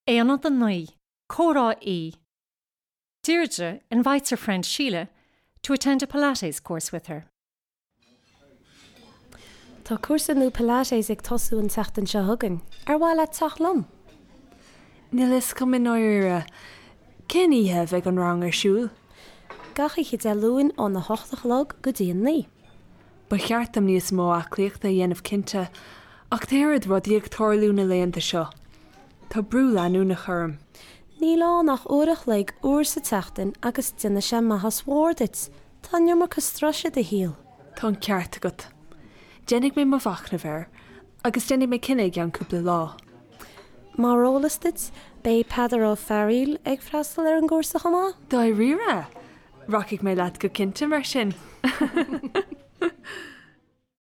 Aonad 9, Comhrá E. Deirdre invites her friend Sheila to attend a Pilates course with her. Tá cúrsa nua Pilates ag tosú an tseachtain seo chugainn. Ar mhaith leat teacht liom? Níl a fhios agam i ndáiríre. Cén oíche a bheidh an rang ar siúl? Gach oíche Dé Luain óna hocht a chlog go dtí a naoi. Ba cheart dom níos mó aclaíochta a dhéanamh cinnte, ach tá oiread rudaí ag tarlú na laethanta seo. Tá brú leanúnach orm. Níl ann ach uair a chloig uair sa tseachtain agus déanfaidh sé maitheas mhór duit. Tá an iomarca struis i do shaol. Tá an ceart agat. Déanfaidh mé mo mhachnamh air agus déanfaidh mé cinneadh i gceann cúpla lá. Mar eolas duit, beidh Peadar Ó Fearaíl ag freastal ar an gcúrsa chomh maith. Dáiríre? Rachaidh mé leat go cinnte mar sin.